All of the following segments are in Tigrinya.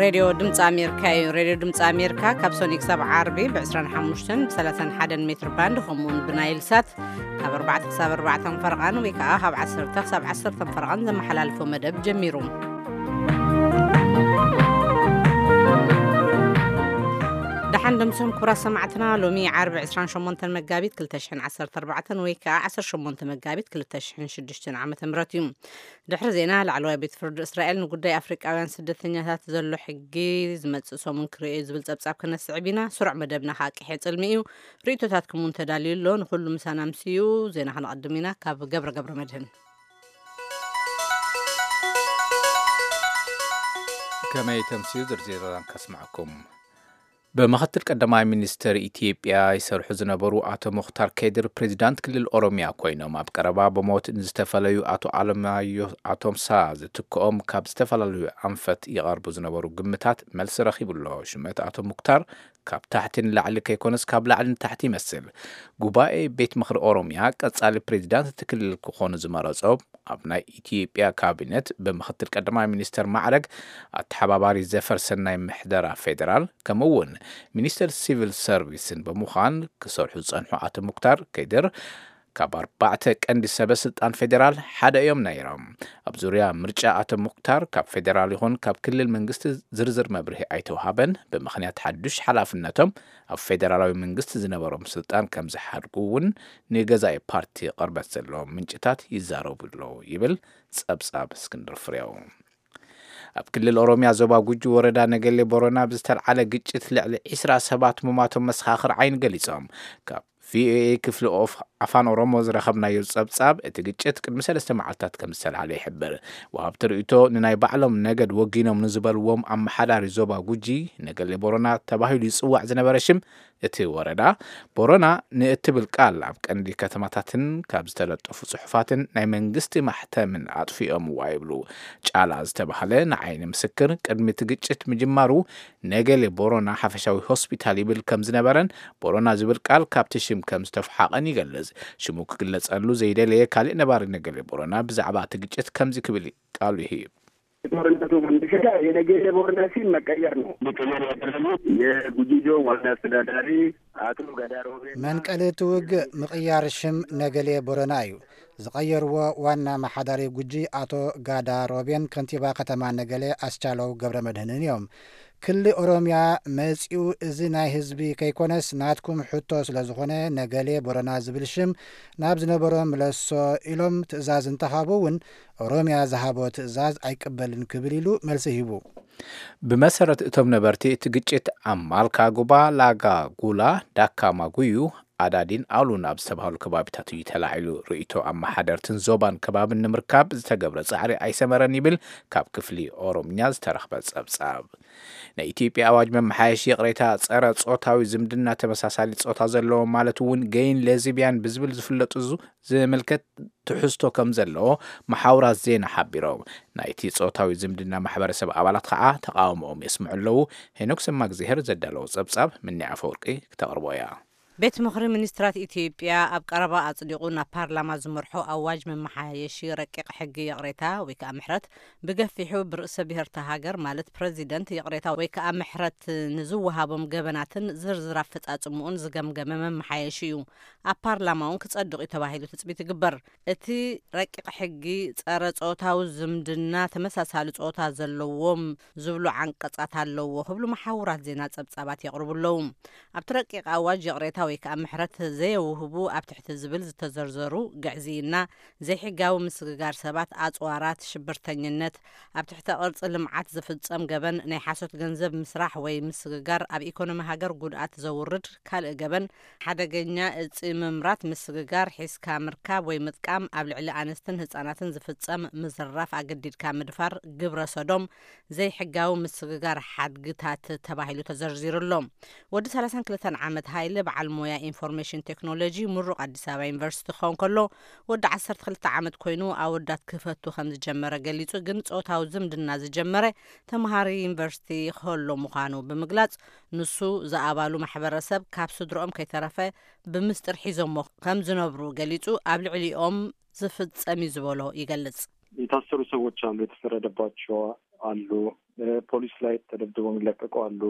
ሬድዮ ድምፂ ኣሜሪካ እዩ። ሬድዮ ድምፂ ኣሜሪካ ካብ ሶኒ ክሳብ ዓርቢ ብ25 ብ31 ሜትር ባንድ፣ ከምኡውን ብናይል ሳት ካብ ኣርባዕተ ክሳብ ኣርባዕተ ፈረቓን ወይ ከዓ ካብ ዓሰርተ ክሳብ ዓሰርተ ፈረቓን ዘመሓላልፎ መደብ ጀሚሩ። ደሓን ደምሶም ክቡራት ሰማዕትና፣ ሎሚ ዓርቢ ዕስራን ሸሞንተን መጋቢት ክልተ ሽሕን ዓሰርተ ኣርባዕተን ወይ ከዓ ዓሰርተ ሸሞንተ መጋቢት ክልተ ሽሕን ሽዱሽተን ዓመተ ምህረት እዩ። ድሕሪ ዜና፣ ላዕለዋይ ቤት ፍርዲ እስራኤል ንጉዳይ ኣፍሪቃውያን ስደተኛታት ዘሎ ሕጊ ዝመጽእ ሰሙን ክርእዮ ዝብል ጸብጻብ ክነስዕብ ኢና። ስሩዕ መደብና ከዓ ቅሕጽል እዩ። ርእይቶታትኩም እውን ተዳልዩ ኣሎ። ንኹሉ ምሳና ምስዩ ዜና ክነቐድም ኢና። ካብ ገብረ ገብረ መድህን። ከመይ ተምስዩ ዝርዝር ዜናን ከስምዐኩም። ብምኽትል ቀዳማይ ሚኒስትር ኢትዮጵያ ይሰርሑ ዝነበሩ ኣቶ ሙኽታር ከድር ፕሬዚዳንት ክልል ኦሮሚያ ኮይኖም፣ ኣብ ቀረባ ብሞት ንዝተፈለዩ ኣቶ ኣለማዮ ኣቶምሳ ዝትክኦም ካብ ዝተፈላለዩ ኣንፈት ይቐርቡ ዝነበሩ ግምታት መልሲ ረኺቡ ኣሎ። ሽመት ኣቶ ሙክታር ካብ ታሕቲ ንላዕሊ ከይኮነስ ካብ ላዕሊ ንታሕቲ ይመስል። ጉባኤ ቤት ምኽሪ ኦሮሚያ ቀጻሊ ፕሬዚዳንት እቲ ክልል ክኾኑ ዝመረጾ ኣብ ናይ ኢትዮጵያ ካቢነት ብምኽትል ቀዳማይ ሚኒስተር ማዕረግ ኣተሓባባሪ ዘፈር ሰናይ ምሕደራ ፌዴራል፣ ከምኡ እውን ሚኒስተር ሲቪል ሰርቪስን ብምዃን ክሰርሑ ዝጸንሑ ኣቶ ሙክታር ከድር ካብ ኣርባዕተ ቀንዲ ሰበ ስልጣን ፌዴራል ሓደ እዮም ነይሮም። ኣብ ዙርያ ምርጫ ኣቶ ሙክታር ካብ ፌዴራል ይኹን ካብ ክልል መንግስቲ ዝርዝር መብርሂ ኣይተውሃበን። ብምኽንያት ሓዱሽ ሓላፍነቶም ኣብ ፌዴራላዊ መንግስቲ ዝነበሮም ስልጣን ከም ዝሓድጉ እውን ንገዛኢ ፓርቲ ቅርበት ዘለዎም ምንጭታት ይዛረቡ ኣለዉ ይብል ጸብጻብ እስክንድር ፍሬው። ኣብ ክልል ኦሮሚያ ዞባ ጉጂ ወረዳ ነገሌ ቦረና ብዝተልዓለ ግጭት ልዕሊ ዕስራ ሰባት ምሟቶም መሰኻኽር ዓይኒ ገሊጾም። ካብ ቪኦኤ ክፍሊ ኦፍ ኣፋን ኦሮሞ ዝረኸብናዮ ጸብጻብ፣ እቲ ግጭት ቅድሚ ሰለስተ መዓልታት ከም ዝተልዓለ ይሕብር። ወሃብቲ ርእይቶ ንናይ ባዕሎም ነገድ ወጊኖም ንዝበልዎም ኣመሓዳሪ ዞባ ጉጂ፣ ነገሌ ቦረና ተባሂሉ ይጽዋዕ ዝነበረ ሽም እቲ ወረዳ፣ ቦረና ንእትብል ቃል ኣብ ቀንዲ ከተማታትን ካብ ዝተለጠፉ ጽሑፋትን ናይ መንግስቲ ማሕተምን ኣጥፊኦምዋ ይብሉ። ጫላ ዝተባህለ ንዓይኒ ምስክር ቅድሚ እቲ ግጭት ምጅማሩ ነገሌ ቦረና ሓፈሻዊ ሆስፒታል ይብል ከም ዝነበረን ቦረና ዝብል ቃል ካብቲ ሽም ከም ዝተፈሓቐን ይገልጽ። ሽሙ ክግለጸሉ ዘይደለየ ካልእ ነባሪ ነገሌ ቦረና ብዛዕባ እቲ ግጭት ከምዚ ክብል ቃሉ ይህብ። የጦርነቱ መነሻ የነገሌ ቦረና ስም መቀየር ነው። መቀየር ያደረጉት የጉጂ ዞን ዋና አስተዳዳሪ አቶ ጋዳሮቤ መንቀሊ እቲ ውግእ ምቕያር ሽም ነገሌ ቦረና እዩ። ዝቐየርዎ ዋና ኣመሓዳሪ ጉጂ ኣቶ ጋዳ ሮቤን ከንቲባ ከተማ ነገሌ ኣስቻለው ገብረ መድህንን እዮም። ክሊ ኦሮሚያ መጺኡ እዚ ናይ ህዝቢ ከይኮነስ ናትኩም ሕቶ ስለ ዝኾነ ነገሌ ቦረና ዝብል ሽም ናብ ዝነበሮ ምለሶ ኢሎም ትእዛዝ እንተሃቡ እውን ኦሮሚያ ዝሃቦ ትእዛዝ ኣይቅበልን ክብል ኢሉ መልሲ ሂቡ። ብመሰረት እቶም ነበርቲ፣ እቲ ግጭት ኣብ ማልካ ጉባ፣ ላጋ ጉላ፣ ዳካ ማጉዩ፣ ኣዳዲን ኣሉን ኣብ ዝተባህሉ ከባቢታት እዩ ተላዒሉ። ርእይቶ ኣመሓደርትን ዞባን ከባብን ንምርካብ ዝተገብረ ጻዕሪ ኣይሰመረን ይብል ካብ ክፍሊ ኦሮምኛ ዝተረኽበ ጸብጻብ። ናይ ኢትዮጵያ ኣዋጅ መመሓየሺ ይቕሬታ ጸረ ጾታዊ ዝምድና ተመሳሳሊ ጾታ ዘለዎ ማለት እውን ገይን ሌዝቢያን ብዝብል ዝፍለጡ ዙ-፣ ዝምልከት ትሕዝቶ ከም ዘለዎ መሓውራት ዜና ሓቢሮም። ናይቲ ጾታዊ ዝምድና ማሕበረሰብ ኣባላት ከዓ ተቃውሞኦም የስምዑ ኣለዉ። ሄኖክ ሰማግዜሄር ዘዳለዎ ጸብጻብ ምኒ ኣፈወርቂ ክተቕርቦ እያ። ቤት ምኽሪ ሚኒስትራት ኢትዮጵያ ኣብ ቀረባ ኣጽዲቑ ናብ ፓርላማ ዝመርሖ ኣዋጅ መመሓየሺ ረቂቕ ሕጊ ይቕሬታ ወይ ከዓ ምሕረት ብገፊሑ ብርእሰ ብሔርታ ሃገር ማለት ፕረዚደንት ይቕሬታ ወይ ከዓ ምሕረት ንዝወሃቦም ገበናትን ዝርዝር ኣፈጻጽምኡን ዝገምገመ መመሓየሺ እዩ። ኣብ ፓርላማ እውን ክጸድቕ እዩ ተባሂሉ ትጽቢት ይግበር። እቲ ረቂቕ ሕጊ ጸረ ጾታዊ ዝምድና ተመሳሳሊ ጾታ ዘለዎም ዝብሉ ዓንቀጻት ኣለዎ ክብሉ መሓውራት ዜና ጸብጻባት የቕርቡ ኣለዉ። ኣብቲ ረቂቕ ኣዋጅ ይቕሬታ ወይ ከዓ ምሕረት ዘየውህቡ ኣብ ትሕቲ ዝብል ዝተዘርዘሩ ግዕዝይና፣ ዘይሕጋዊ ምስግጋር ሰባት፣ ኣጽዋራት፣ ሽብርተኝነት፣ ኣብ ትሕተ ቅርጺ ልምዓት ዝፍጸም ገበን፣ ናይ ሓሶት ገንዘብ ምስራሕ ወይ ምስግጋር፣ ኣብ ኢኮኖሚ ሃገር ጉድኣት ዘውርድ ካልእ ገበን፣ ሓደገኛ እጺ ምምራት፣ ምስግጋር፣ ሒዝካ ምርካብ ወይ ምጥቃም፣ ኣብ ልዕሊ ኣንስትን ህጻናትን ዝፍጸም ምዝራፍ፣ ኣገዲድካ ምድፋር፣ ግብረ ሰዶም፣ ዘይሕጋዊ ምስግጋር ሓድግታት ተባሂሉ ተዘርዚሩ ኣሎ። ወዲ ሰላሳን ክልተን ዓመት ሃይለ በዓል ሞያ ኢንፎርሜሽን ቴክኖሎጂ ምሩቕ ኣዲስ ኣበባ ዩኒቨርሲቲ ክኸውን ከሎ፣ ወዲ ዓሰርተ ክልተ ዓመት ኮይኑ ኣወዳት ክፈቱ ከም ዝጀመረ ገሊጹ፣ ግን ጾታዊ ዝምድና ዝጀመረ ተምሃሪ ዩኒቨርሲቲ ከሎ ምዃኑ ብምግላጽ፣ ንሱ ዝኣባሉ ማሕበረሰብ ካብ ስድርኦም ከይተረፈ ብምስጢር ሒዞሞ ከም ዝነብሩ ገሊጹ፣ ኣብ ልዕሊኦም ዝፍጸም እዩ ዝበሎ ይገልጽ። የታሰሩ ሰዎች አሉ፣ የተፈረደባቸው አሉ። ፖሊስ ላይ ተደብድበው የሚለቀቁ አሉ።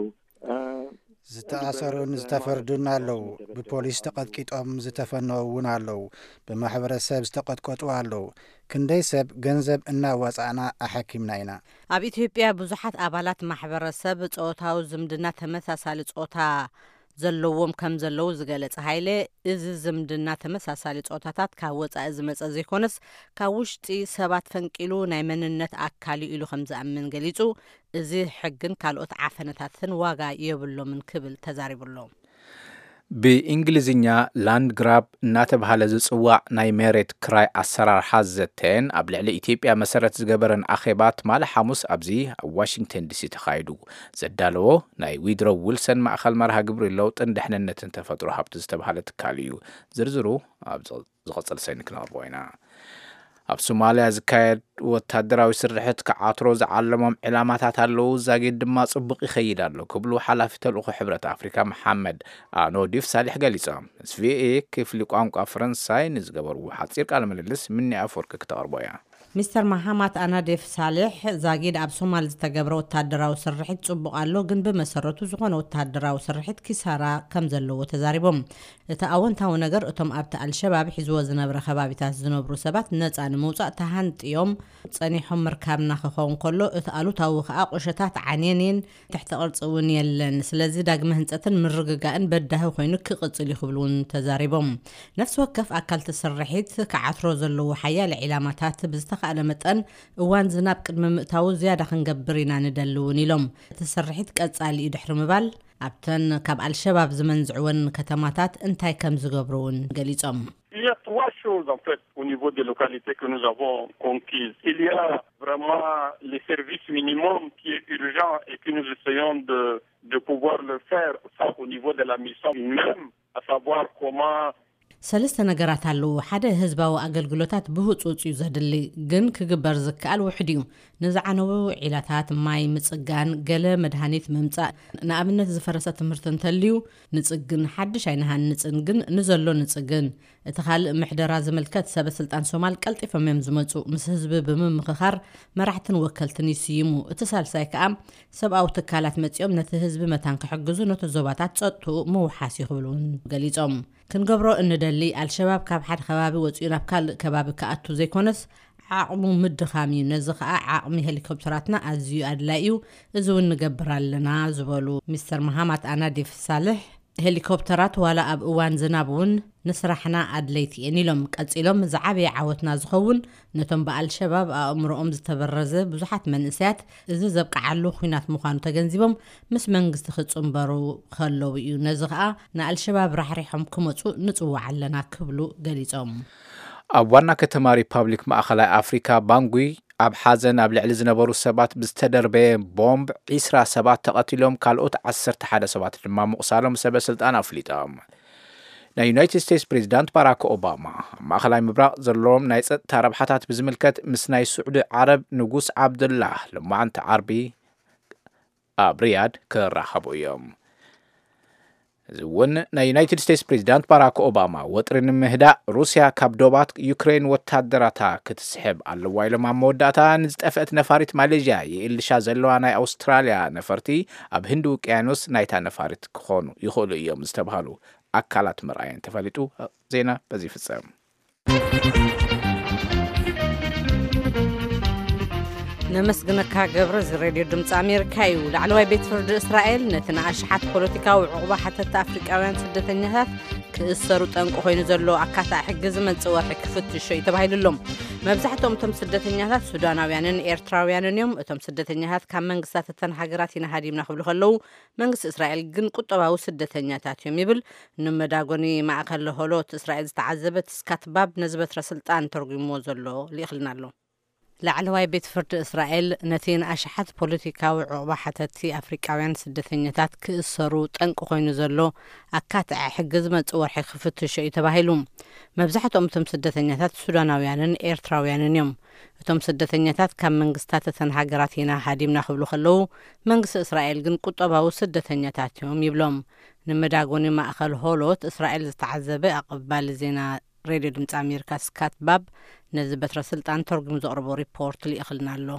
ዝተኣሰሩን ዝተፈርዱን ኣለዉ። ብፖሊስ ተቐጥቂጦም ዝተፈነዉ እውን ኣለዉ። ብማሕበረሰብ ዝተቐጥቀጡ ኣለዉ። ክንደይ ሰብ ገንዘብ እናዋፃእና ኣሐኪምና ኢና። ኣብ ኢትዮጵያ ብዙሓት ኣባላት ማሕበረሰብ ጾታዊ ዝምድና ተመሳሳሊ ጾታ ዘለዎም ከም ዘለዉ ዝገለጸ ሃይለ፣ እዚ ዝምድና ተመሳሳሊ ጾታታት ካብ ወጻኢ ዝመጸ ዘይኮነስ ካብ ውሽጢ ሰባት ፈንቂሉ ናይ መንነት ኣካል እዩ ኢሉ ከም ዝኣምን ገሊጹ። እዚ ሕግን ካልኦት ዓፈነታትን ዋጋ የብሎምን ክብል ተዛሪቡ ኣሎ። ብእንግሊዝኛ ላንድ ግራብ እናተባህለ ዝጽዋዕ ናይ መሬት ክራይ ኣሰራርሓ ዘተን ኣብ ልዕሊ ኢትዮጵያ መሰረት ዝገበረን ኣኼባ ትማሊ ሓሙስ ኣብዚ ኣብ ዋሽንግተን ዲሲ ተኻይዱ። ዘዳለዎ ናይ ዊድሮ ዊልሰን ማእኸል መርሃ ግብሪ ለውጥን ድሕንነትን ተፈጥሮ ሃብቲ ዝተባህለ ትካል እዩ። ዝርዝሩ ኣብ ዝቕፅል ሰኒ ክነቕርቦ ኢና። ኣብ ሶማልያ ዝካየድ ወታደራዊ ስርሕት ክዓትሮ ዝዓለሞም ዕላማታት ኣለዉ፣ ዛጊድ ድማ ጽቡቕ ይኸይድ ኣሎ ክብሉ ሓላፊ ተልእኾ ሕብረት ኣፍሪካ መሓመድ ኣኖዲፍ ሳሊሕ ገሊጾም። ምስ ቪኦኤ ክፍሊ ቋንቋ ፈረንሳይ ንዝገበርዎ ሓጺር ቃለ ምልልስ ምኒ ኣፈወርቂ ክተቕርቦ እያ። ሚስተር መሃማት ኣናዴፍ ሳሌሕ ዛጊድ ኣብ ሶማል ዝተገብረ ወታደራዊ ስርሒት ጽቡቕ ኣሎ፣ ግን ብመሰረቱ ዝኾነ ወታደራዊ ስርሒት ኪሳራ ከም ዘለዎ ተዛሪቦም። እቲ ኣወንታዊ ነገር እቶም ኣብቲ ኣልሸባብ ሒዝዎ ዝነብረ ከባቢታት ዝነብሩ ሰባት ነጻ ንምውጻእ ተሃንጥዮም ጸኒሖም ምርካብና ክኸውን ከሎ፣ እቲ ኣሉታዊ ከኣ ቁሸታት ዓንየን እየን፣ ትሕቲ ቅርጺ እውን የለን። ስለዚ ዳግመ ህንጸትን ምርግጋእን በዳሂ ኮይኑ ክቕጽል እዩ ክብሉ እውን ተዛሪቦም። ነፍሲ ወከፍ ኣካል እቲ ስርሒት ክዓትሮ ዘለዎ ሓያለ ዒላማታት ብዝተኻእለ መጠን እዋን ዝናብ ቅድሚ ምእታዉ ዝያዳ ክንገብር ኢና ንደሊ እውን ኢሎም። እቲ ስርሒት ቀጻሊ እዩ ድሕሪ ምባል ኣብተን ካብ ኣልሸባብ ዝመንዝዕወን ከተማታት እንታይ ከም ዝገብሩ እውን ገሊጾም። Il y a trois choses en fait au niveau des localités que nous avons conquises. Il y a vraiment les services minimums qui est urgent et que nous essayons de, de pouvoir le faire ça au niveau de la mission même, à savoir comment ሰለስተ ነገራት ኣለዉ። ሓደ ህዝባዊ ኣገልግሎታት ብህጹጽ እዩ ዘድሊ፣ ግን ክግበር ዝከኣል ውሕድ እዩ። ንዝዓነዉ ዒላታት ማይ ምጽጋን፣ ገለ መድሃኒት ምምጻእ፣ ንኣብነት ዝፈረሰ ትምህርቲ እንተልዩ ንጽግን፣ ሓድሽ ኣይንሃንጽን ግን ንዘሎ ንጽግን። እቲ ካልእ ምሕደራ ዝምልከት ሰበ ስልጣን ሶማል ቀልጢፎም እዮም ዝመጹ፣ ምስ ህዝቢ ብምምኽኻር መራሕትን ወከልትን ይስይሙ። እቲ ሳልሳይ ከኣ ሰብኣዊ ትካላት መጺኦም ነቲ ህዝቢ መታን ክሕግዙ ነቲ ዞባታት ጸጥትኡ ምውሓስ እዩ ክብሉ እውን ገሊጾም። ክንገብሮ እንደሊ ኣልሸባብ ካብ ሓደ ከባቢ ወጺኡ ናብ ካልእ ከባቢ ክኣቱ ዘይኮነስ ዓቕሙ ምድኻም እዩ። ነዚ ከኣ ዓቕሚ ሄሊኮፕተራትና ኣዝዩ ኣድላይ እዩ፣ እዚ እውን ንገብር ኣለና ዝበሉ ሚስተር መሃማት ኣናዲፍ ሳልሕ፣ ሄሊኮፕተራት ዋላ ኣብ እዋን ዝናብ እውን ንስራሕና ኣድለይቲ እየን ኢሎም። ቀጺሎም ዝዓበየ ዓወትና ዝኸውን ነቶም ብኣልሸባብ ኣእምሮኦም ዝተበረዘ ብዙሓት መንእሰያት እዚ ዘብቅዓሉ ኹናት ምዃኑ ተገንዚቦም ምስ መንግስቲ ክጽንበሩ ከለዉ እዩ። ነዚ ከኣ ንኣልሸባብ ራሕሪሖም ክመጹ ንጽዋዕ ኣለና ክብሉ ገሊጾም። ኣብ ዋና ከተማ ሪፓብሊክ ማእኸላይ ኣፍሪካ ባንጉይ ኣብ ሓዘን ኣብ ልዕሊ ዝነበሩ ሰባት ብዝተደርበየ ቦምብ ዒስራ ሰባት ተቐቲሎም፣ ካልኦት ዓሰርተ ሓደ ሰባት ድማ ምቑሳሎም ሰበ ስልጣን ኣፍሊጦም። ናይ ዩናይትድ ስቴትስ ፕሬዚዳንት ባራክ ኦባማ ኣብ ማእኸላይ ምብራቕ ዘለዎም ናይ ጸጥታ ረብሓታት ብዝምልከት ምስ ናይ ስዑዲ ዓረብ ንጉስ ዓብዱላህ ሎማዓንቲ ዓርቢ ኣብ ሪያድ ክራኸቡ እዮም። እዚ እውን ናይ ዩናይትድ ስቴትስ ፕሬዚዳንት ባራክ ኦባማ ወጥሪ ንምህዳእ ሩስያ ካብ ዶባት ዩክሬን ወታደራታ ክትስሕብ ኣለዋ ኢሎም ኣብ መወዳእታ ንዝጠፍአት ነፋሪት ማሌዥያ የእልሻ ዘለዋ ናይ ኣውስትራልያ ነፈርቲ ኣብ ህንዲ ውቅያኖስ ናይታ ነፋሪት ክኾኑ ይኽእሉ እዮም ዝተባሃሉ ኣካላት ምርኣየን ተፈሊጡ። ዜና በዚ ይፍጸም። ነመስግነካ ገብረ። እዚ ሬድዮ ድምፂ ኣሜሪካ እዩ። ላዕለዋይ ቤት ፍርዲ እስራኤል ነቲ ንኣሽሓት ፖለቲካዊ ዕቑባ ሓተቲ ኣፍሪቃውያን ስደተኛታት ክእሰሩ ጠንቂ ኮይኑ ዘሎ ኣካታዒ ሕጊ ዝመጽእ ወርሒ ክፍትሾ እዩ ተባሂሉ ኣሎ። መብዛሕትኦም እቶም ስደተኛታት ሱዳናውያንን ኤርትራውያንን እዮም። እቶም ስደተኛታት ካብ መንግስታት እተን ሃገራት ኢና ሃዲምና ክብሉ ከለዉ፣ መንግስቲ እስራኤል ግን ቁጠባዊ ስደተኛታት እዮም ይብል። ንመዳጎኒ ማእከል ሆሎት እስራኤል ዝተዓዘበ ስካት ባብ ነዚ በትረ ስልጣን ተርጉምዎ ዘሎ ልኢኽልና ኣሎ። ላዕለዋይ ቤት ፍርዲ እስራኤል ነቲ ንኣሽሓት ፖለቲካዊ ዕቑባ ሓተቲ ኣፍሪቃውያን ስደተኛታት ክእሰሩ ጠንቂ ኮይኑ ዘሎ ኣካትዐ ሕጊ ዝመጽእ ወርሒ ክፍትሾ እዩ ተባሂሉ። መብዛሕትኦም እቶም ስደተኛታት ሱዳናውያንን ኤርትራውያንን እዮም። እቶም ስደተኛታት ካብ መንግስታት እተን ሃገራት ኢና ሃዲምና ክብሉ ከለዉ፣ መንግስቲ እስራኤል ግን ቁጠባዊ ስደተኛታት እዮም ይብሎም። ንመዳጎኒ ማእኸል ሆሎት እስራኤል ዝተዓዘበ ኣቐባሊ ዜና ሬድዮ ድምፂ ኣሜሪካ ስካት ባብ ነዚ በትረ ስልጣን ተርጉሙ ዘቕርቦ ሪፖርት ልኢኽልና ኣሎ።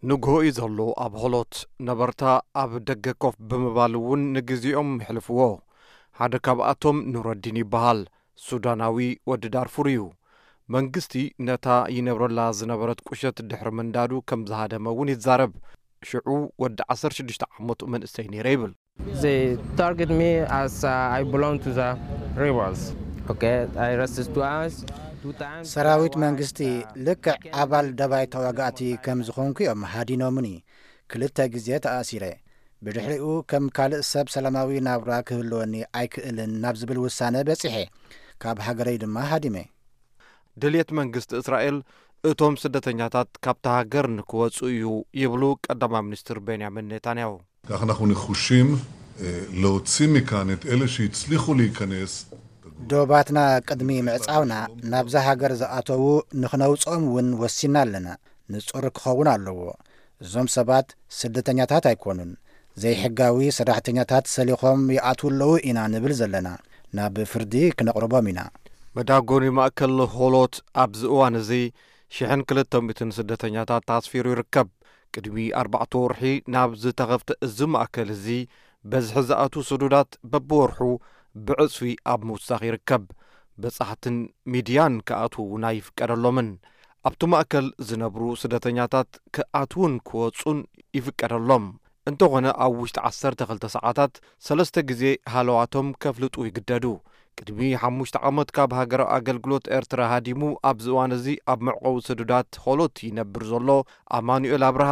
ንግሆ እዩ ዘሎ ኣብ ሆሎት። ነበርታ ኣብ ደገ ኮፍ ብምባል እውን ንግዜኦም የሕልፍዎ። ሓደ ካብኣቶም ኑረዲን ይበሃል። ሱዳናዊ ወዲ ዳርፉር እዩ። መንግስቲ ነታ ይነብረላ ዝነበረት ቁሸት ድሕሪ ምንዳዱ ከም ዝሃደመ እውን ይዛረብ። ሽዑ ወዲ ዓሰርተ ሽዱሽተ ዓመቱ መንእሰይ ነይረ ይብል። They target me as uh, I belong to the rebels. Okay, I resist to us two times. ሰራዊት መንግስቲ ልክዕ ኣባል ደባይ ተዋጋእቲ ከም ዝኾንኩ እዮም ሃዲኖምኒ። ክልተ ግዜ ተኣሲረ። ብድሕሪኡ ከም ካልእ ሰብ ሰላማዊ ናብራ ክህልወኒ ኣይክእልን ናብ ዝብል ውሳነ በጺሐ። ካብ ሃገረይ ድማ ሃዲመ። ድልየት መንግስቲ እስራኤል እቶም ስደተኛታት ካብታ ሃገር ንክወጹ እዩ ይብሉ ቀዳማይ ሚኒስትር ቤንያሚን ኔታንያሁ። כך אנחנו נחושים אה, להוציא מכאן את אלה שהצליחו להיכנס. ዶባትና ቅድሚ ምዕጻውና ናብዛ ሃገር ዝኣተዉ ንኽነውጽኦም እውን ወሲና ኣለና። ንጹር ክኸውን ኣለዎ። እዞም ሰባት ስደተኛታት ኣይኮኑን። ዘይሕጋዊ ሰራሕተኛታት ሰሊኾም ይኣትዉ ኣለዉ ኢና ንብል ዘለና። ናብ ፍርዲ ክነቕርቦም ኢና። መዳጎኒ ማእከል ሆሎት ኣብዚ እዋን እዚ ሽሕን ክልተ ሚእትን ስደተኛታት ኣስፊሩ ይርከብ። ቅድሚ ኣርባዕተ ወርሒ ናብ ዝተኸፍተ እዚ ማእከል እዚ በዝሒ ዝኣትዉ ስዱዳት በብወርሑ ብዕጽፊ ኣብ ምውሳኽ ይርከብ። በጻሕትን ሚድያን ክኣትዉ እውን ኣይፍቀደሎምን። ኣብቲ ማእከል ዝነብሩ ስደተኛታት ክኣትዉን ክወጹን ይፍቀደሎም። እንተኾነ ኣብ ውሽጢ ዓሰርተ ክልተ ሰዓታት ሰለስተ ግዜ ሃለዋቶም ከፍልጡ ይግደዱ። ቅድሚ ሓሙሽተ ዓመት ካብ ሃገራዊ ኣገልግሎት ኤርትራ ሃዲሙ ኣብዚ እዋን እዚ ኣብ መዕቆቢ ስዱዳት ሆሎት ይነብር ዘሎ ኣማኑኤል ኣብርሃ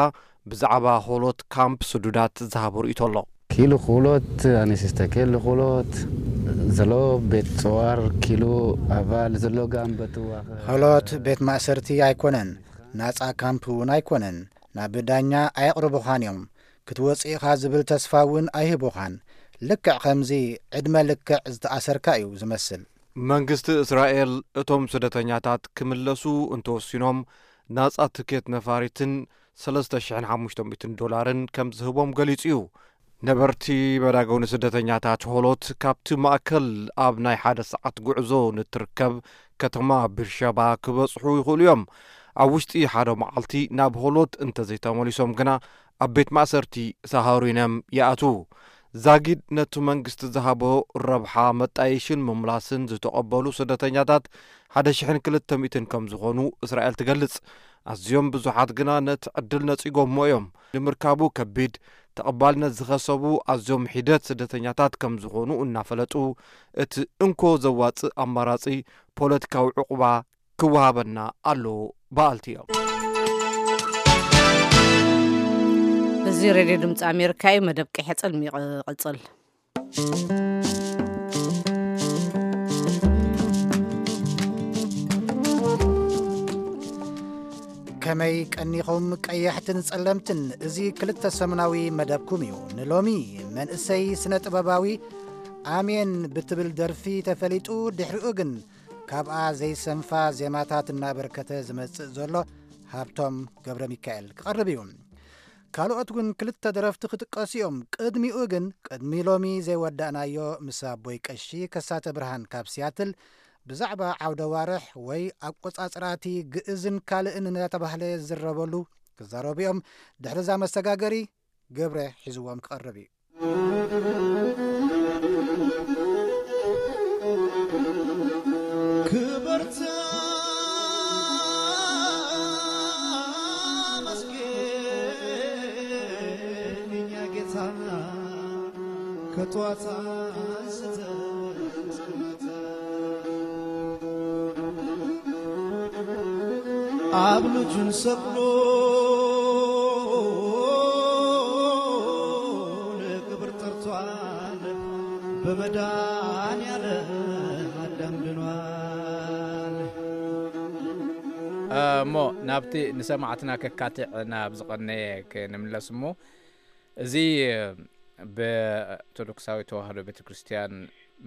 ብዛዕባ ሆሎት ካምፕ ስዱዳት ዝሃቦ ርእይቶ ኣሎ። כאילו חולות אני מסתכל לחולות זה לא בית סוהר כאילו אבל זה לא גם בטוח. ሆሎት ቤት ማእሰርቲ ኣይኮነን፣ ናጻ ካምፕ እውን ኣይኮነን። ናብ ዳኛ ኣየቕርቡኻን እዮም። ክትወጽእ ኢኻ ዝብል ተስፋ እውን ኣይህቡኻን። ልክዕ ከምዚ ዕድመ ልክዕ ዝተኣሰርካ እዩ ዝመስል። መንግስቲ እስራኤል እቶም ስደተኛታት ክምለሱ እንተወሲኖም ናጻ ትኬት ነፋሪትን ሰለስተ ሽሕን ሓሙሽተ ሚእትን ዶላርን ከም ዝህቦም ገሊጹ እዩ። ነበርቲ መዳጎኒ ስደተኛታት ሆሎት ካብቲ ማእከል ኣብ ናይ ሓደ ሰዓት ጉዕዞ ንትርከብ ከተማ ቢርሸባ ክበጽሑ ይኽእሉ እዮም። ኣብ ውሽጢ ሓደ መዓልቲ ናብ ሆሎት እንተዘይተመሊሶም ግና ኣብ ቤት ማእሰርቲ ሳሃሪኖም ይኣትዉ። ዛጊድ ነቲ መንግስቲ ዝሃቦ ረብሓ መጣየሽን ምምላስን ዝተቐበሉ ስደተኛታት ሓደ ሽሕን ክልተ ሚእትን ከም ዝኾኑ እስራኤል ትገልጽ። ኣዝዮም ብዙሓት ግና ነቲ ዕድል ነጺጎሞ እዮም። ንምርካቡ ከቢድ፣ ተቐባልነት ዝኸሰቡ ኣዝዮም ሒደት ስደተኛታት ከም ዝኾኑ እናፈለጡ፣ እቲ እንኮ ዘዋጽእ ኣማራጺ ፖለቲካዊ ዕቑባ ክወሃበና ኣለዎ በሃልቲ እዮም። እዚ ሬድዮ ድምፂ ኣሜሪካ እዩ። መደብ ቀይሕ ጽልሚ ይቕጽል። ከመይ ቀኒኹም ቀያሕትን ጸለምትን? እዚ ክልተ ሰሙናዊ መደብኩም እዩ። ንሎሚ መንእሰይ ስነ ጥበባዊ ኣሜን ብትብል ደርፊ ተፈሊጡ፣ ድሕሪኡ ግን ካብኣ ዘይሰንፋ ዜማታት እናበርከተ ዝመጽእ ዘሎ ሃብቶም ገብረ ሚካኤል ክቐርብ እዩ። ካልኦት እውን ክልተ ደረፍቲ ክጥቀሱ እዮም። ቅድሚኡ ግን፣ ቅድሚ ሎሚ ዘይወዳእናዮ ምስ ኣቦይ ቀሺ ከሳተ ብርሃን ካብ ሲያትል ብዛዕባ ዓውደ ዋርሕ ወይ ኣቆጻጽራቲ ግእዝን ካልእን እናተባህለ ዝዝረበሉ ክዛረቡ እዮም። ድሕሪ እዛ መሰጋገሪ ገብረ ሒዝዎም ክቐርብ እዩ። ክብርቲ መስገን እኛ ጌታ ከጥዋት ኣንስተ ኣብ ልጁን ሰቅሎ ንክብር ጠርቷል። ብመድኃኔዓለም ኣዳም ድኗል። እሞ ናብቲ ንሰማዕትና ከካትዕ ናብ ዝቐነየ ክንምለስ እሞ፣ እዚ ብኦርቶዶክሳዊ ተዋህዶ ቤተ ክርስቲያን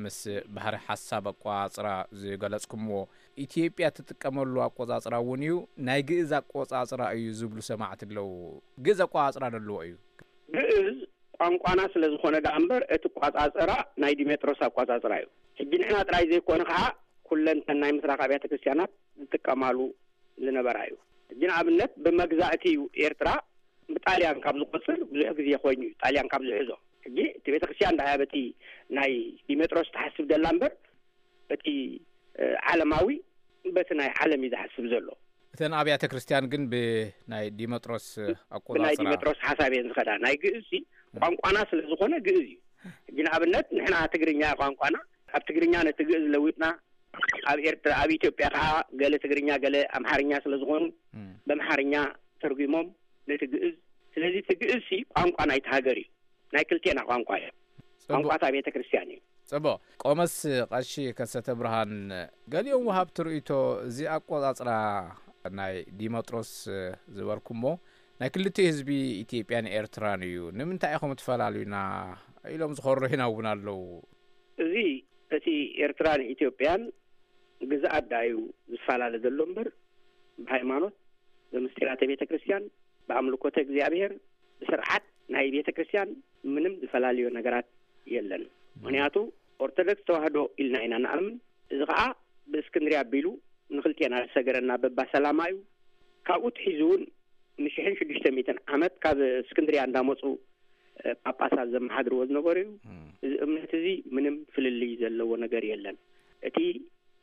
ምስ ባህሪ ሓሳብ ኣቋጽራ ዝገለጽኩምዎ፣ ኢትዮጵያ ትጥቀመሉ ኣቆጻጽራ እውን እዩ፣ ናይ ግእዝ ኣቆጻጽራ እዩ ዝብሉ ሰማዕቲ ኣለዉ። ግእዝ ኣቆጻጽራ ዘለዎ እዩ። ግእዝ ቋንቋና ስለ ዝኾነ ደኣ እምበር፣ እቲ ኣቋጻጽራ ናይ ዲሜጥሮስ ኣቋጻጽራ እዩ። ሕጂ ንሕና ጥራይ ዘይኮነ፣ ከዓ ኩለንተን ናይ ምስራቅ ኣብያተ ክርስቲያናት ዝጥቀማሉ ዝነበራ እዩ። ሕጂ ንኣብነት፣ ብመግዛእቲ እዩ ኤርትራ ጣልያን ካብ ዝቆጽር ብዙሕ ግዜ ኮይኑ እዩ፣ ጣልያን ካብ ዝሕዞ። ሕጂ እቲ ቤተክርስትያን ደኣ በቲ ናይ ዲሜጥሮስ ትሓስብ ደላ እምበር፣ በቲ ዓለማዊ፣ በቲ ናይ ዓለም እዩ ዝሓስብ ዘሎ። እተን ኣብያተ ክርስቲያን ግን ብናይ ዲሜጥሮስ ኣቆጻጽራ፣ ብናይ ዲሜጥሮስ ሓሳብ እየን ዝኸዳ። ናይ ግእዝ ቋንቋና ስለ ዝኾነ ግእዝ እዩ። ሕጂ ንኣብነት ንሕና ትግርኛ ቋንቋና፣ ኣብ ትግርኛ ነቲ ግእዝ ለዊጥና፣ ኣብ ኤርትራ፣ ኣብ ኢትዮጵያ ከዓ ገለ ትግርኛ ገለ ኣምሓርኛ ስለ ዝኾኑ፣ በምሓርኛ ተርጉሞም ነቲ ግእዝ። ስለዚ እቲ ግእዝ ሲ ቋንቋ ናይቲ ሃገር እዩ፣ ናይ ክልቴና ቋንቋ እዩ። ቋንቋ እታ ቤተ ክርስቲያን እዩ። ጽቡቕ። ቆመስ ቀሺ ከሰተ ብርሃን፣ ገሊኦም ወሃብቲ ርእይቶ፣ እዚ ኣቆጻጽራ ናይ ዲመጥሮስ ዝበርኩሞ ናይ ክልቲኡ ህዝቢ፣ ኢትዮጵያን ኤርትራን እዩ፣ ንምንታይ ኢኹም ትፈላልዩና ኢሎም ዝኸርሩ ሂና እውን ኣለዉ። እዚ እቲ ኤርትራን ኢትዮጵያን ግዝኣት ዳዩ ዝፈላለ ዘሎ እምበር፣ ብሃይማኖት፣ ብምስጢራተ ቤተ ክርስቲያን፣ ብኣምልኮተ እግዚኣብሔር፣ ብስርዓት ናይ ቤተ ክርስቲያን ምንም ዝፈላለዮ ነገራት የለን። ምክንያቱ ኦርቶዶክስ ተዋህዶ ኢልና ኢና ንኣምን። እዚ ከዓ ብእስክንድርያ ኣቢሉ ንክልቴና ዝሰገረና በባ ሰላማ እዩ። ካብኡ ትሒዙ እውን ንሽሕን ሽዱሽተ ሚእትን ዓመት ካብ እስክንድርያ እንዳመፁ ጳጳሳት ዘመሓድርዎ ዝነበሩ እዩ። እዚ እምነት እዚ ምንም ፍልልይ ዘለዎ ነገር የለን። እቲ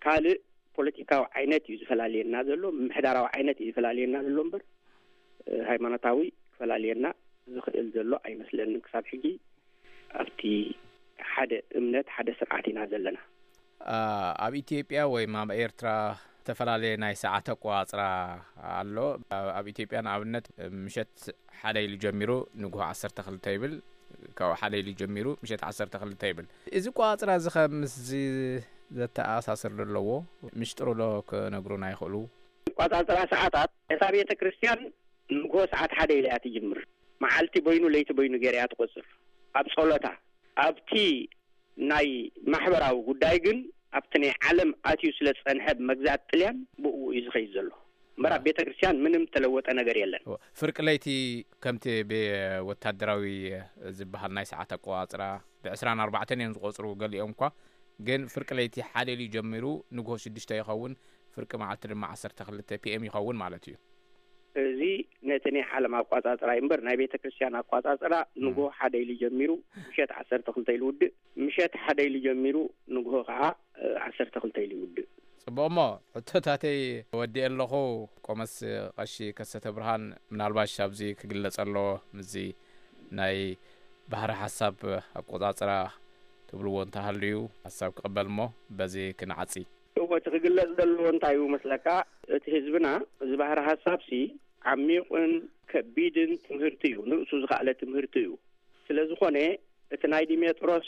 ካልእ ፖለቲካዊ ዓይነት እዩ ዝፈላልየና ዘሎ፣ ምምሕዳራዊ ዓይነት እዩ ዝፈላልየና ዘሎ እምበር፣ ሃይማኖታዊ ክፈላልየና ዝኽእል ዘሎ ኣይመስለንን። ክሳብ ሕጂ ኣብቲ ሓደ እምነት፣ ሓደ ስርዓት ኢና ዘለና። ኣብ ኢትዮጵያ ወይ ኣብ ኤርትራ ዝተፈላለየ ናይ ሰዓት ኣቆጻጽራ ኣሎ። ኣብ ኢትዮጵያ ንኣብነት ምሸት ሓደ ኢሉ ጀሚሩ ንግሆ ዓሰርተ ክልተ ይብል፣ ካብ ሓደ ኢሉ ጀሚሩ ምሸት ዓሰርተ ክልተ ይብል። እዚ ኣቆጻጽራ እዚ ከ ምስዚ ዘተኣሳስር ዶ ኣለዎ? ምሽጥሩ ዶ ክነግሩና ይኽእሉ? ኣቆጻጽራ ሰዓታት እታ ቤተ ክርስቲያን ንግሆ ሰዓት ሓደ ኢላ እያ ትጅምር። መዓልቲ በይኑ ለይቲ በይኑ ገይራ እያ ትቆጽር። ኣብ ጸሎታ፣ ኣብቲ ናይ ማሕበራዊ ጉዳይ ግን ኣብቲ ናይ ዓለም ኣትዩ ስለ ዝጸንሐ ብመግዛእቲ ጥልያን ብእኡ እዩ ዝኸይድ ዘሎ። እምበር ኣብ ቤተ ክርስቲያን ምንም ተለወጠ ነገር የለን። ፍርቂ ለይቲ ከምቲ ብወታደራዊ ዝበሃል ናይ ሰዓት ኣቆጻጽራ ብዕስራን ኣርባዕተን እዮም ዝቆጽሩ ገሊኦም እኳ፣ ግን ፍርቂ ለይቲ ሓደ ኢሉ ጀሚሩ ንግሆ ሽዱሽተ ይኸውን፣ ፍርቂ መዓልቲ ድማ ዓሰርተ ክልተ ፒ ኤም ይኸውን ማለት እዩ። እዚ ነቲ ናይ ዓለም ኣቋጻጽራ እዩ እምበር ናይ ቤተ ክርስቲያን ኣቋጻጽራ ንግሆ ሓደ ኢሉ ጀሚሩ ምሸት ዓሰርተ ክልተ ኢሉ ውድእ፣ ምሸት ሓደ ኢሉ ጀሚሩ ንግሆ ከዓ ዓሰርተ ክልተ ኢሉ ይውድእ። ጽቡቕ እሞ ሕቶታተይ ወዲኤ ኣለኹ። ቆመስ ቀሺ ከሰተ ብርሃን ምናልባሽ ኣብዚ ክግለጸ ኣለዎ ምስዚ ናይ ባህሪ ሓሳብ ኣቆጻጽራ ትብልዎ እንተሃልዩ ሓሳብ ክቕበል እሞ በዚ ክንዓጺ። እወ እቲ ክግለጽ ዘለዎ እንታይ እዩ መስለካ? እቲ ህዝብና እዚ ባህሪ ሓሳብ ሲ ዓሚቕን ከቢድን ትምህርቲ እዩ፣ ንርእሱ ዝኸኣለ ትምህርቲ እዩ። ስለ ዝኾነ እቲ ናይ ዲሜጥሮስ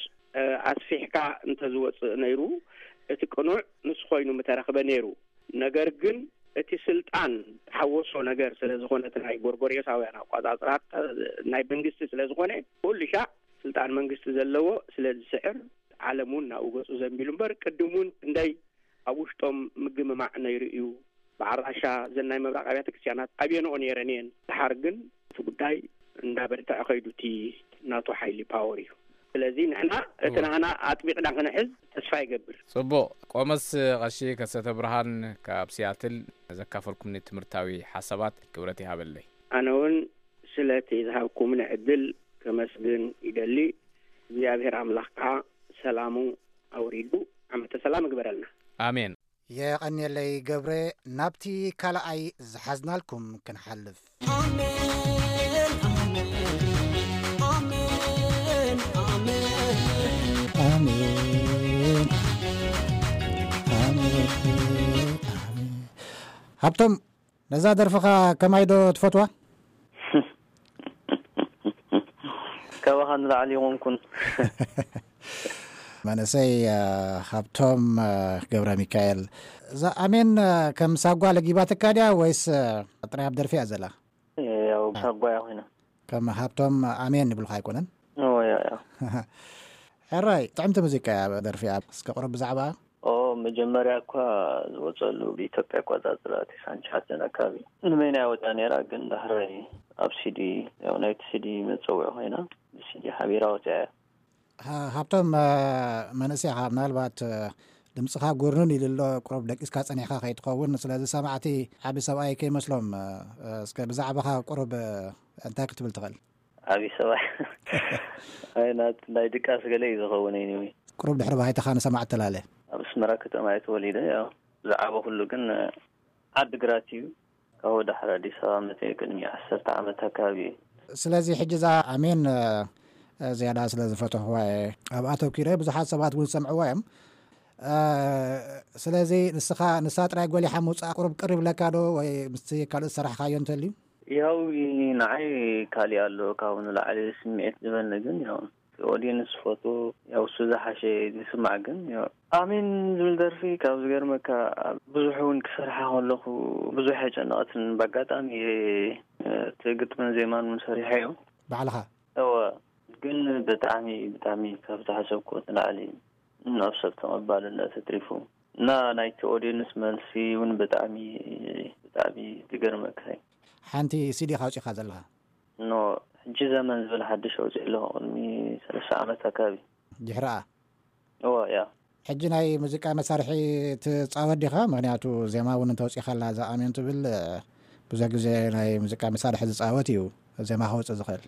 ኣስፊሕካ እንተዝወፅእ ነይሩ እቲ ቅኑዕ ንሱ ኮይኑ ምተረኽበ ነይሩ። ነገር ግን እቲ ስልጣን ዝሓወሶ ነገር ስለ ዝኾነ እቲ ናይ ጎርጎርዮሳውያን ኣቋፃፅራ ናይ መንግስቲ ስለ ዝኾነ ኩሉ ሻዕ ስልጣን መንግስቲ ዘለዎ ስለ ዝስዕር ዓለም እውን ናብኡ ገፁ ዘንቢሉ እምበር ቅድም እውን ክንደይ ኣብ ውሽጦም ምግምማዕ ነይሩ እዩ። በዓል ራሻ እዘን ናይ ምብራቕ ኣብያተ ክርስቲያናት ኣብየንኦ ነይረን እየን። ድሓር ግን እቲ ጉዳይ እንዳበርትዐ ከይዱ እቲ ናቱ ሓይሊ ፓወር እዩ። ስለዚ ንሕና እቲ ናህና ኣጥቢቕና ክንሕዝ ተስፋ ይገብር። ጽቡቕ። ቆመስ ቀሺ ከሰተ ብርሃን ካብ ሲያትል ዘካፈልኩምኒ ትምህርታዊ ሓሳባት ክብረት ይሃበለይ። ኣነ እውን ስለቲ ዝሃብኩምኒ ዕድል ከመስግን ይደሊ። እግዚኣብሔር ኣምላኽ ከዓ ሰላሙ ኣውሪዱ ዓመተ ሰላም ይግበረልና። ኣሜን። የቐንየለይ ገብረ። ናብቲ ካልኣይ ዝሓዝናልኩም ክንሓልፍ። ኣሜን ኣሜን ኣሜን ኣሜን ኣሜን ኣሜን። ሃብቶም፣ ነዛ ደርፍኻ ከማይ ዶ ትፈትዋ? ካባኻ ንላዕሊ ይኾንኩን። መንእሰይ ሃብቶም ገብረ ሚካኤል፣ እዛ ኣሜን ከም ሳጓ ለጊባትካ ድያ ወይስ ጥራይ ኣብ ደርፊ እያ ዘላ? ያው ሳጓ እያ ኮይና። ከም ሃብቶም ኣሜን ይብሉኻ ኣይኮነን? ያ ያ። ሕራይ ጥዕምቲ ሙዚቃ እያ ደርፊ እያ። እስከ ቁሩብ ብዛዕባ ኦ መጀመርያ እኳ ዝወፀሉ ብኢትዮጵያ ኣቆፃፅራ ቴሳን ሸሓተን ኣካባቢ ንመይና ወፅያ ነይራ። ግን ዳሕራይ ኣብ ሲዲ ያው ናይቲ ሲዲ መፀውዒ ኮይና ብሲዲ ሓቢራ ወፅያ እያ። ሃብቶም መንእሰይ ኢኻ፣ ምናልባት ድምፅኻ ጉርንን ኢሉ ኣሎ። ቁሩብ ደቂስካ ጸኒሕካ ከይትኸውን፣ ስለዚ ሰማዕቲ ዓቢ ሰብኣይ ከይመስሎም። እ፣ እስከ ብዛዕባኻ ቁሩብ፣ እ፣ እንታይ ክትብል ትኽእል? ዓቢ ሰብኣይ ኣይ፣ ናት-፣ ናይ ድቃስ ገለ እዩ ዝኸውን። Anyway፣ ቁሩብ ድሕሪ ባይታኻ ንሰማዕቲ ተላለ። ኣብ ኣስመራ ከተማ እየ ተወሊደ። ያው ዝዓበኹሉ ግን ዓዲ ግራት እዩ። ካብኡ ድሕሪ ኣዲስ ኣበባ መፅእ ቅድሚ ዓሰርተ ዓመት ኣካባቢ እዩ። ስለዚ ሕጂ እዛ ኣሜን፣ እ፣ ዝያዳ ስለ ዝፈተኽዋ እየ ኣብ ኣተኪረ። ብዙሓት ሰባት እውን ዝሰምዕዋ እዮም። እ፣ ስለዚ ንስኻ፣ ንሳ ጥራይ ጎሊሓ ምውፃእ ቁሩብ ቅር ይብለካ ዶ? ወይ ምስቲ ካልእ ዝሰራሕካዮ እንተልዩ? ያው ንዓይ ካሊእ ኣሎ፣ ካብኡ ንላዕሊ ስምዒት ዝበኒ ግን ያው ኦዲየንስ ዝፈቱ፣ ያው እሱ ዝሓሸ ዝስማዕ ግን ያው ኣሜን ዝብል ደርፊ ካብ ዝገርመካ ብዙሕ እውን ክሰርሓ ከለኹ ብዙሕ ኣይጨነቐትን። ብኣጋጣሚ እየ እቲ ግጥምን ዜማን እውን ሰሪሐዮ። ባዕልኻ? እወ፣ ግን ብጣዕሚ፣ ብጣዕሚ ካብ ዝሓሰብኩ ንላዕሊ ናብ ሰብ ተቐባልነት ኣትሪፉ እና ናይቲ ኦዲየንስ መልሲ እውን ብጣዕሚ፣ ብጣዕሚ ዝገርመካ እዩ። ሓንቲ ሲዲ ኢኻ ኣውጺእኻ ዘለኻ? ኖ፣ ሕጂ ዘመን ዝብል ሓድሽ ኣውጺእ ኣለኹ፣ ቅድሚ ሰለስተ ዓመት ኣካባቢ። ድሕሪኣ? እወ፣ ያ። ሕጂ ናይ ሙዚቃ መሳርሒ ትጻወት ዲኻ? ምኽንያቱ ዜማ እውን እንተውጺእካ ኣላ እዛ ኣሜን ትብል፣ ብዙሕ ግዜ ናይ ሙዚቃ መሳርሒ ዝጻወት እዩ ዜማ ከውጽእ ዝኽእል።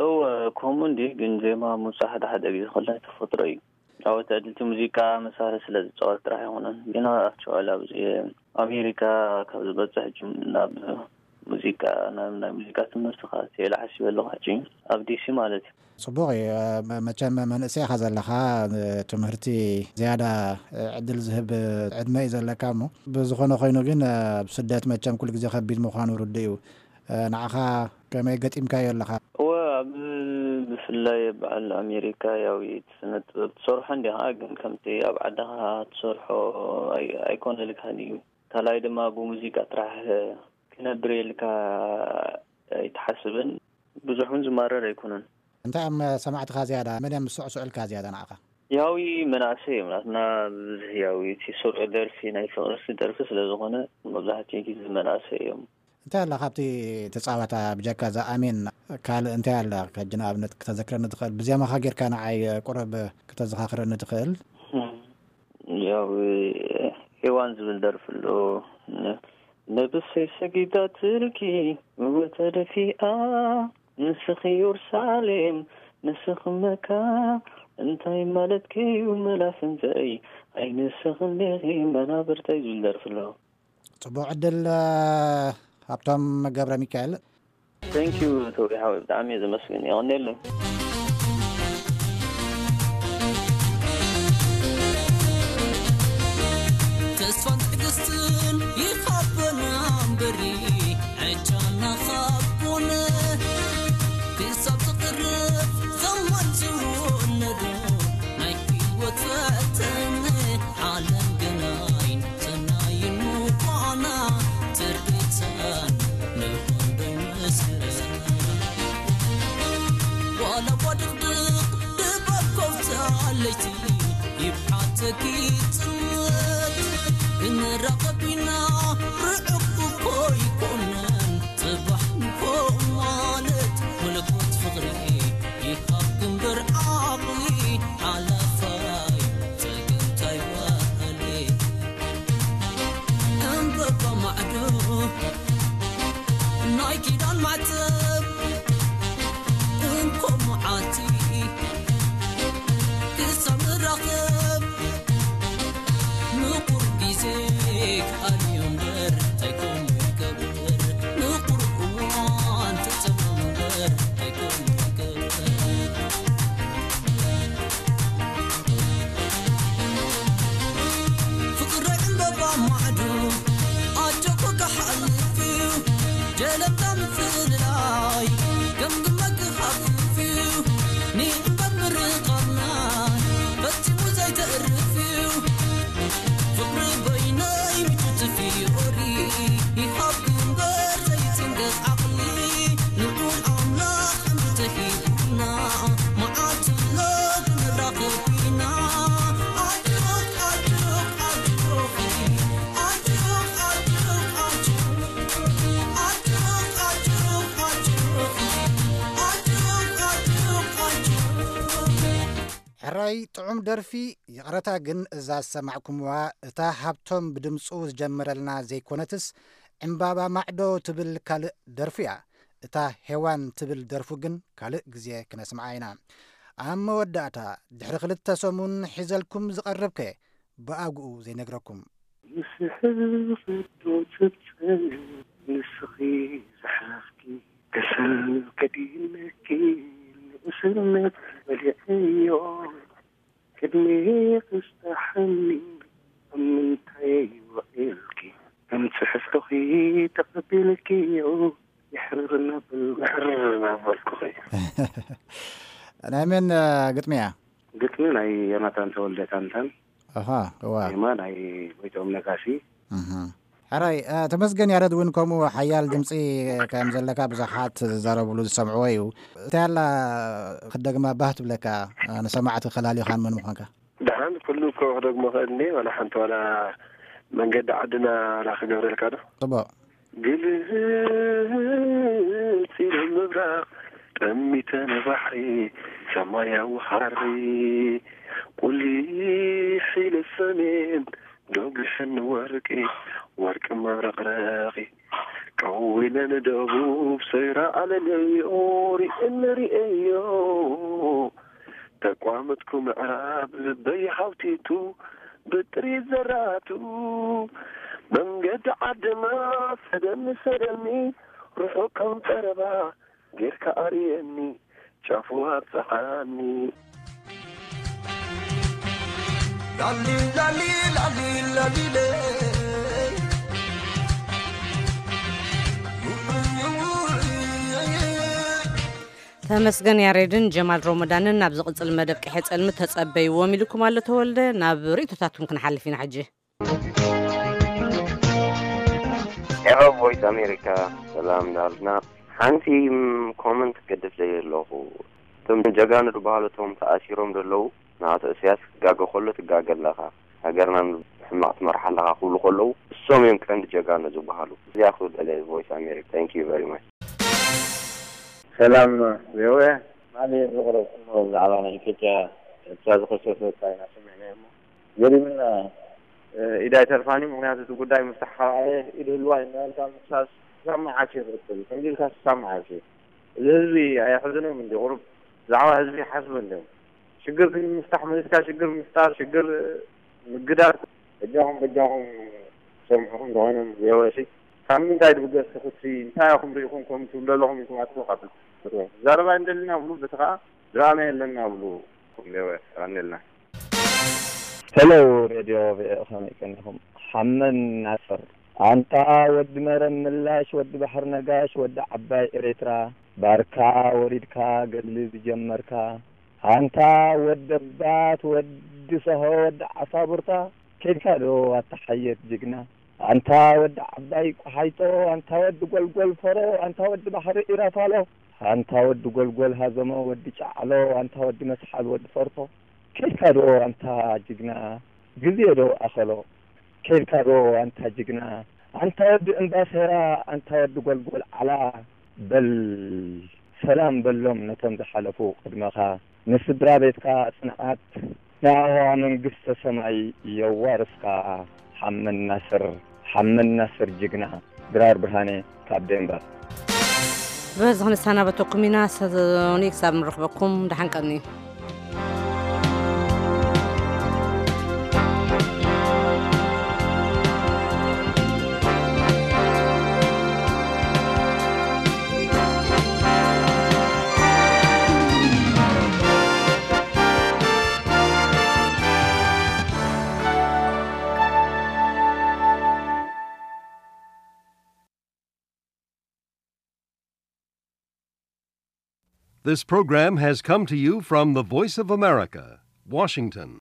እወ፣ ከምኡ እንዲ፣ ግን ዜማ ምውጻእ ሓደ ሓደ ግዜ ከሎ ናይ ተፈጥሮ እዩ። ኣብ ተዕድልቲ ሙዚቃ መሳርሒ ስለ ዝጻወት ጥራሕ ኣይኮነን። ግን ኣክቹዋሊ ኣብዚ ኣሜሪካ ካብ ዝበጽሕ ሕጂ ናብ ሙዚቃ፣ ናብ ናይ ሙዚቃ ትምህርቲ ከኣቱ ኢለ ሓሲበ ኣለኹ ሕጂ፣ ኣብ ዲሲ ማለት እዩ። ጽቡቕ እዩ። መ-፣ መቸም መንእሰይ ኢኻ ዘለኻ፣ ትምህርቲ ዝያዳ ዕድል ዝህብ ዕድመ እዩ ዘለካ እሞ፣ ብዝኾነ ኮይኑ ግን ኣብ ስደት መቸም ኩሉ ግዜ ከቢድ ምዃኑ ርዱእ እዩ። ንዓኻ ከመይ ገጢምካዮ ኣለኻ? እወ፣ ኣብ ብፍላይ በዓል ኣሜሪካ ያው እቲ ስነ ጥበብ ትሰርሖ እንዲኻ፣ ግን ከምቲ ኣብ ዓድኻ ትሰርሖ ኣይ-፣ ኣይኮነልካን እዩ። ካልኣይ ድማ ብሙዚቃ ጥራሕ ክነብር ኢልካ ኣይትሓስብን፣ ብዙሕ እውን ዝማረር ኣይኮነን። እንታይ እዮም ሰማዕትኻ ዝያዳ? መን እዮም ዝስዕስዑልካ ዝያዳ ንዓኻ? ያዊ መናእሰይ እዮም ናትና ብብዝሒ፣ ያዊ እቲ ስሩዕ ደርፊ ናይ ፍቕሪ ደርፊ ስለ ዝኾነ መብዛሕትኡ ግዜ መናእሰይ እዮም። እንታይ ኣላ ካብቲ ተጻዋታ ብጀካ እዛ ኣሜን ካልእ እንታይ ኣላ? ሕጂ ንኣብነት ክተዘክረኒ ትኽእል? ብዜማኻ ጌርካ ንዓይ ቁሩብ ክተዘኻኽረኒ ትኽእል? ያው ሄዋን ዝብል ደርፊ ኣሎ። ነብሰይ ሰጊዳትልኪ እወ ተደፊኣ፣ ንስኺ የሩሳሌም፣ ንስኺ መካ፣ እንታይ ማለትኪ እዩ መላፍንተይ? ኣይ ንስኺ እንዲኺ መናብርተይ ዝብል ደርፊ ኣሎ። ጽቡቕ ዕድል፣ ሃብቶም ገብረ ሚካኤል። Thank you ተውሪ ሓወይ፣ ብጣዕሚ እየ ዘመስግን። የቐንየለይ። ተስፋን ትዕግስትን ይኻበና እምበሪ፣ ዕጫና ኻብ ኮነ ክሳብ ዝቕርብ ዘማን ዝወለዶ ናይ ህይወት ፈተነ ዓለም ግናይ ሰናይን ምዃና ትርኢተን ንኾንዶ ይመስለን። ዋላ እኳ ድቕድቕ ድባብ ኮፍ ትኣለይቲ ይብሓተኪ ጽልመት፣ ክንራኸብ ኢና ርሑቕ እኮ ኣይኮነን። ጽባሕ ንኮ ማለት መለኮት ፍቕሪ ይሃብ ግንበር ዓቕሊ ሓላፋይ ጸገምታይ ዋህሊ። ዕምበባ ማዕዶ ናይ ኪዳን ማዕተብ እንኮ መዓልቲ ክሳብ ንራኸብ ምቑር ግዜ ክኣልዮ እምበር እንታይ ከምኡ ይገብር? ምቑር እዋን ትጸብኦ እምበር እንታይ ከምኡ ይገብር? ፍቕሪ ዕምበባ ማዕዶ ኣጆኮ ክሓልፍ እዩ፣ ጀለምታ ምፍልላይ ገምግመ ክሃፍፍ እዩ፣ ንእምበር ምርቓና ፈጺሙ ዘይተርፍ እዩ። ፍቕሪ በይነይ ምቹ ትፊኦሪ ይሃብ ግንበር ዘይጽንገት ዓቕሊ፣ ልዑል ኣምላኽ እንተሂቡና መዓልቲ ኣሎ ክንራኸብ ኢና። ኣጆኽ፣ ኣጆኽ፣ ኣጆኺ፣ ኣጆኽ፣ ኣጆኽ፣ ኣጆኺ፣ ኣጆኽ፣ ኣጆኽ፣ ኣጆኺ። ኣይ ጥዑም ደርፊ። ይቕረታ ግን እዛ ዝሰማዕኩምዋ እታ ሃብቶም ብድምጹ ዝጀመረልና ዘይኮነትስ ዕምባባ ማዕዶ ትብል ካልእ ደርፉ እያ። እታ ሄዋን ትብል ደርፉ ግን ካልእ ግዜ ክነስምዓ ኢና። ኣብ መወዳእታ ድሕሪ ክልተ ሰሙን ሒዘልኩም ዝቐርብከ ብኣግኡ ዘይነግረኩም። ምስሕል ፍቶ ትብፅል ንስኺ ዝሓፍኪ ከሰል ከዲነኪ ንእስነት በሊዐዮ ቅድሚ ክስታሓኒ ኣብ ምንታይ ውዒልኪ ከም ፅሕፍቶኺ ተቐቢልኪዮ ይሕርር እናበል ይሕርር እናበልኩኺ። ናይ መን ግጥሚ እያ? ግጥሚ ናይ ዮናታን ተወልደ ታንታን። ኣሃ፣ እዋ። ዜማ ናይ ጎይትኦም ነጋሲ። እህ። ሕራይ፣ እ፣ ተመስገን ያረድ እውን ከምኡ ሓያል ድምፂ ከም ዘለካ ብዙሓት ዝዛረብሉ ዝሰምዕዎ እዩ። እንታይ ኣላ ክደግማ ባህ ትብለካ፣ እ፣ ንሰማዕቲ ከላልዮኻን መን ምዃንካ? ደሓን ኩሉ እኮ ክደግሞ ኽእል እኒአ፣ ዋላ ሓንቲ ዋላ መንገዲ ዓድና ዋላ ክገብረልካ ዶ? ጽቡቕ። ግልጽ ኢሉ ምብራቕ፣ ጠሚተ ንባሕሪ፣ ሰማያዊ ሃሪ፣ ቁሊሕ ኢለ ሰሜን፣ ዶግሐ ንወርቂ፣ ወርቂ መብረቕረቒ፣ ቀው ኢለ ንደቡብ፣ ሰይረ ኣለለዮ፣ ሪእኒ ሪኤዮ። ተቋመትኩ ምዕራብ ልበይ ሓውቲቱ ብጥሪ ዘራቱ መንገዲ ዓድና ሰደኒ ሰደኒ ርሑቕ ከም ቀረባ ጌርካ ኣርእየኒ ጫፉ ኣብጽሓኒ። ላሊ ላሊ ላሊ ላሊ ለይ። ተመስገን ያሬድን ጀማል ሮመዳንን። ናብ ዝቕጽል መደብ ቅሐ ጸልሚ ተጸበይዎም ኢልኩም ኣሎ ተወልደ። ናብ ርእይቶታትኩም ክንሓልፍ ኢና ሕጂ። ኤሮ ቮይስ ኣሜሪካ ሰላም ዳልና። ሓንቲ ም፣ ኮመንት ክገድፍ ደልየ ኣለኹ። እቶም ጀጋኑ ዝበሃሉ እቶም ተኣሲሮም ዘለዉ ንኣቶ እስያስ ክጋገ ከሎ ትጋገ ኣለኻ፣ ሃገርና ሕማቕ ትመርሓ ኣለኻ ክብሉ ከለዉ እሶም እዮም ቀንዲ ጀጋኑ ዝበሃሉ። እዚኣ ክብል ደልየ ቮይስ ኣሜሪካ። Thank you very much። ሰላም ቪኦኤ። ማሊ ዘቕረብኩሞ ብዛዕባ ናይ ኢትዮጵያ ኤርትራ ዝኸሰሰ ቻይና ሰሚዕና እሞ ገሪምና። ኢድ ኣይተርፋን እዩ። ምክንያቱ እቲ ጉዳይ ምፍታሕ ካብ ኣየ ኢድ ህልዋ እዩ እናበልካ ምክሳስ ክሳብ መዓስ እዩ ክቕፅል? ከምዚ ኢልካ ክሳብ መዓስ እዩ? እዚ ህዝቢ ኣየሕዝኖም እንዲ ቁሩብ ብዛዕባ ህዝቢ ይሓስቡ እንዲዮም። ሽግር ግን ምፍታሕ መሊስካ ሽግር ምፍጣር ሽግር ምግዳር በጃኹም በጃኹም ሰምዑኹም ዝኾነ ቪኦኤ ሲ ካብ ምንታይ ድብገስ ትኽሲ እንታይ ኢኹም ርኢኹም ከም ትብሉ ኣለኹም ኢልኩም ኣትኹ ካብ ዘረባ እንደልና ብሉ በቲ ከዓ ድራማ የለና ብሉ ኩም ቪኦኤ ኣቀንልና። ሄሎ ሬድዮ ቪኦኤ ከመይ ቀኒኹም? ሓመን ናስር ኣንታ ወዲ መረብ ምላሽ ወዲ ባሕሪ ነጋሽ ወዲ ዓባይ ኤሬትራ ባርካ ወሪድካ ገድሊ ዝጀመርካ ኣንታ ወዲ ኣባት ወዲ ሰሆ ወዲ ዓሳቡርታ ኬድካ ዶ ኣታ ሓየት ጅግና ኣንታ ወዲ ዓባይ ቆሓይጦ ኣንታ ወዲ ጎልጎል ፈሮ ኣንታ ወዲ ባሕሪ ኢራፋሎ ኣንታ ወዲ ጎልጎል ሃዘሞ ወዲ ጫዕሎ ኣንታ ወዲ መስሓል ወዲ ፈርቶ ኬድካ ዶ ኣንታ ጅግና ግዜ ዶ ኣኸሎ ኬድካ ዶ ኣንታ ጅግና ኣንታ ወዲ እምባሴራ ኣንታ ወዲ ጎልጎል ዓላ በል ሰላም በሎም ነቶም ዝሓለፉ ቅድመኻ ንስድራ ቤትካ ጽንዓት ንኣዋ መንግስተ ሰማይ የዋርስካ ሓመን ናስር ሓመን ናስር ጅግና ድራር ብርሃነ ካብ ዴንቨር በዚ ክንሰናበተኩም ኢና ሰዞኒ ክሳብ ንረኽበኩም ደሓን ቀኒ This program has come to you from the Voice of America, Washington.